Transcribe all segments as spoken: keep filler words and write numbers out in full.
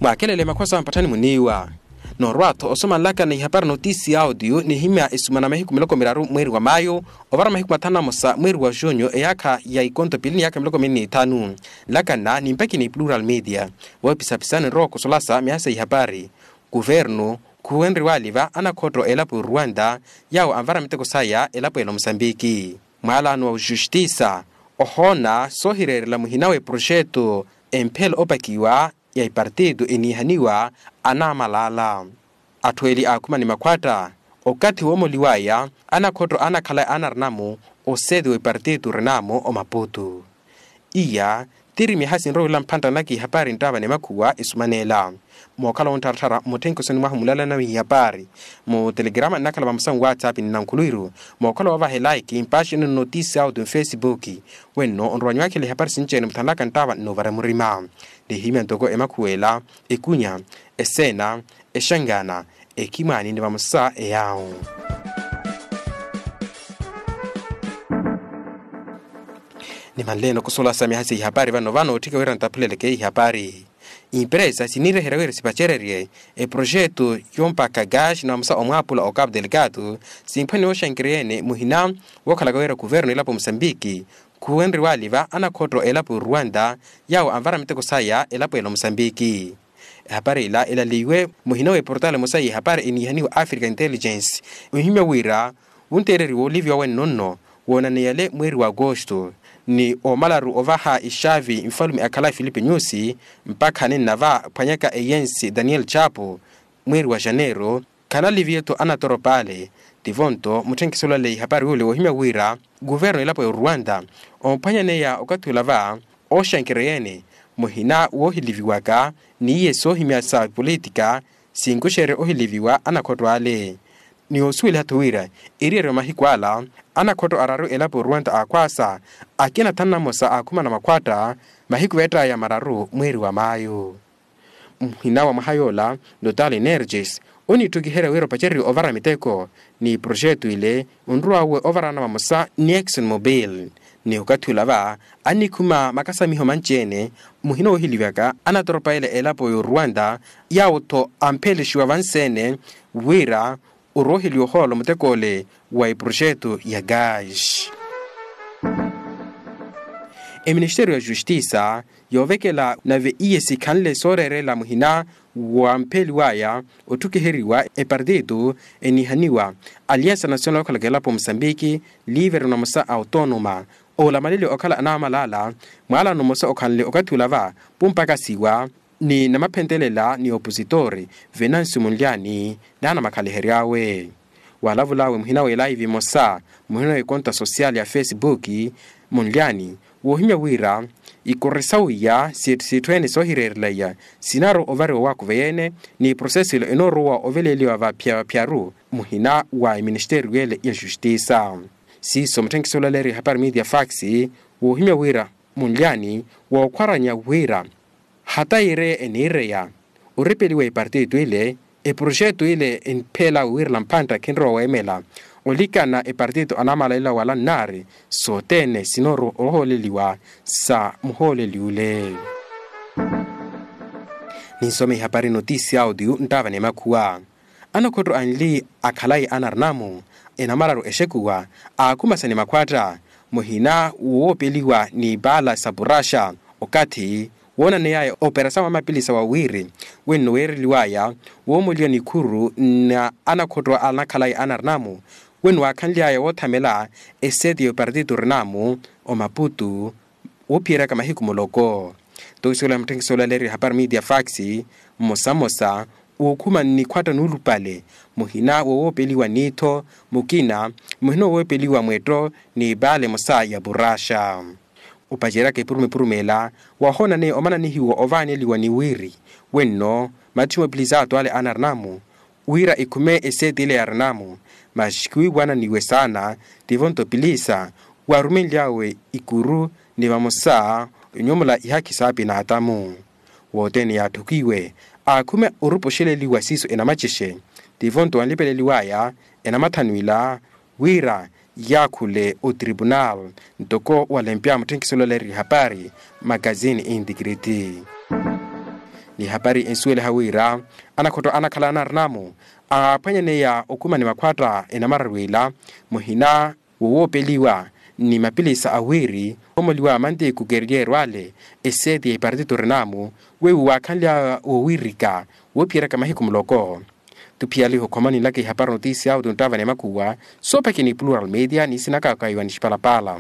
Paakelele makhuwa sawa mpatthani muniiwa. Noorwa-tho osomanlaka ni ihapari notisi ya audio nihimya esumana mahiku miloko miraru mweeri wa mayu, ovara mahiku mathanu na mosa mweeri wa junyu eyaakha ya ikonto pili ni yaakha miloko mili n'ithanu. Nlakanna nimpakhi ni plural media. Voopisapisani nrowa okusolasa myaha sa ihapari, kuvernu khuwenriwaliva anakhotto elapo eruwanta, yaawo anvara miteko saya elapo ela omusambiki. Mwaalano wa ojustisa ohoona soohireerela muhina w'eproxeto emphela opakiwa ya ipartito eniihaniwa anaamalaala. Atthu eli aakhuma ni makhwatta okathi woomoliwaya anakhotto anakhala anarinamu oseeti wa ipartito rinamu omaputu. Iya tiri myaha sinrowa wila mphantta naki ihapari nttaava ni makhuwa esumaneela. Mookhala wonttharattharya mutthenkisoni mwahu mulalana w'ihapari mu telegrama nnakhala vamosa nwatsapp ni nankhulwiru. Mookhala woovahela iki mpaxini nnotisi auto mfesipuki. Wenno onrowa nyuwakhela ihapari sinci-ene muthanlaka nttaava nnoovara murima. Nihimya ntoko emakhuwela, ekunya, eseena, exangana, ekhimwaani ni vamosa eyaawo. Nimanleeni okusolasa myaha sa ihapari vano vano otthika wira nttaphuleleke ihapari. Impresa siniiryeherya wira sipacererye eproxeto yompakha gasi na vamosa omwaapula o cabo delgado. Simphwaniwa oxankereya-ene muhina wookhalaka wira kuvernu elapo musambiki khuwenriwaliva anakhotto elapo ruwanta, yaawo anvara miteko saya elapo ela omusambiki. Ehapari ila elaliwe muhina w'eportale emosa y'ehapari eniihaniwa africa intelligence. Ohimya wira wunteereriwa oliviwa wenno nno woonaneyale mweeri wa agosto ni omalaru ovaha ixaavi nfalume akhala filipe nyusi mpakha ninnava phwanyaka eyensi daniel chapo mweeri wa janeiro. Khanaliviye-tho anatoropa ale. Tivo-nto mutthenkiso olaleya ihapari yule woohimya wira kuvernu elapo ya oruwanta omphwanyaneya okathi olava oxankereya-ene muhina woohiliviwaka n'iye soohimya sa politika sinkuxerye ohiliviwa anakhotto ale. Ni osuweliha-tho wira eriyari wa mahiku ala anakhotto araru elapo ya oruwanta aakhwaasa akina thanu na mosa aakhuma na makhwatta mahiku veett'aya mararu mweeri wa mayu. Muhina wa mwaha yoola notale energes oniitthukiherya wira opacererye ovara miteko ni proxeto ile onrow'awe ovarana vamosa ni exxon mobil. Ni okathi olava annikhuma makasamiho manci-ene muhina woohilivyaka anatoropa ele elapo y'oruwanta yaawo-tho amphelexiwa vansi-ene wira orooheliwa ohoolo mutek'ole wa eproxeto ya gasi. Eministeriyo ya justisa yoovekela nave iye sikhanle sooreerela muhina wampheliwaya otthukiheriwa epartito eniihaniwa aliansa nasional okhalaka elapo musambiki liiverno namosa a otonoma oolamaleliwa okhala anaamalaala. Mwaalano mmosa okhanle okathi olava pumpakasiwa ni namaphentelela ni opositori venancio munlyani naana makhalihery'awe. Waalavul'awe muhina w'elaivi emosa muhina w'ekonta sosiyali ya fesipuki munlyani woohimya wira ikoro sa wiya sitthu sitthu-ene soohireerela iya sinaaru ovariwa owaakuveya-ene ni proseso ilo enoorowa oveleeliwa vaphiya vaphiyaru muhina wa eministeriyo ele ya justisa. Siiso mutthenkiso olaleeriwa ehapari media fax woohimya wira munlyani wookhwaranya wira hata ireya eniireya oripeliwa epartito ile eproxeto ile enipheel'awe wirela mphantta khinrowa weemela olikana epartito anaamalalela wala nnaari sothene sinoorowa ohooleliwa sa muhooleli ule. Ninsome ihapari notisi audio nttaava ni makhuwa. Anakhotto anli akhalayi anarinamu enamararu exekuwa aakhumasa ni makhwatta muhina woopeliwa ni paala sa puraxa okathi woonaney'aya operasawu amapilisa wa wiri wenno weereliw'aya woomoliwa nikhuru na anakhotto anakhalayi anarinamu wenno waakhanly'aya woothamela eseeti y'opartito rinamu omaputu woophiyeryaka mahiku muloko. Nto isuwela mutthenkiso olaleeriwa ehapari media fax mmosa mmosa wookhuma nnikhwatta nuulupale muhina wowoopeliwa niitho mukina muhina wowoopeliwa mwetto ni paala emosa ya puraxa opaceryaka epuruma epuruma ela wahoonaneya omananihiwa ovaaneliwa ni wiri wenno matthi moopilisa ato ale anarinamu wira ikhume eseeti ile ya rinamu masi khuwiiwananiwe saana tivo nto pilisa waarumenly'awe ikuru ni vamosa onyomula ihakhi saapina atamu. Wothene yaatthukiwe aakhume orupa oxeleliwa siiso enamacexe tivo nto anlipeleliw'aya enamathanwila wira yaakhule otripunal ntoko walempya mutthenkiso olaleeriwa ehapari makazini intikriti. Ni hapari ensuweliha wira anakhotto anakhala anarinamu aaphwanyaneya okhuma ni makhwatta enamararu ila muhina wowoopeliwa ni mapilisa awiiri omoliwa manteku keryeerwale eseeti ya ipartito rinamu weiwo waakhanly'awe wowiirika woophiyeryaka mahiku muloko. Tuphiyaliha okhomanilaka ihapari notisiya awo tunttava ni makhuwa soopakini plural media ni sinakaka iwa ni xipalapala.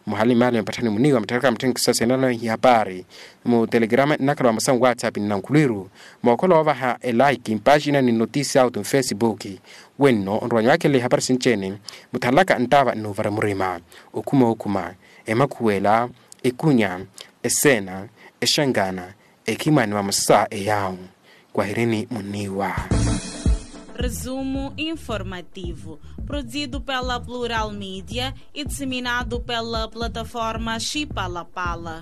Muhali mali mpatthani muniwa mutthaka muttheni kisasa enalona ihapari mu telegrama nnakhala wa masamu whatsapp ni nankhulwiru mookhola woovaha elaiki mpaaxina ni notisiya awo tunfesibuki. Wenno onrowa nywaakhelela ihapari sinci-ene muthalaka nttava nnuuvara murima okhuma okhuma emakhuwela ekunya eseena exangana ekhimani vamosa eyawu. Kwahirini muniwa. Resumo informativo produzido pela plural media e disseminado pela plataforma xipalapala.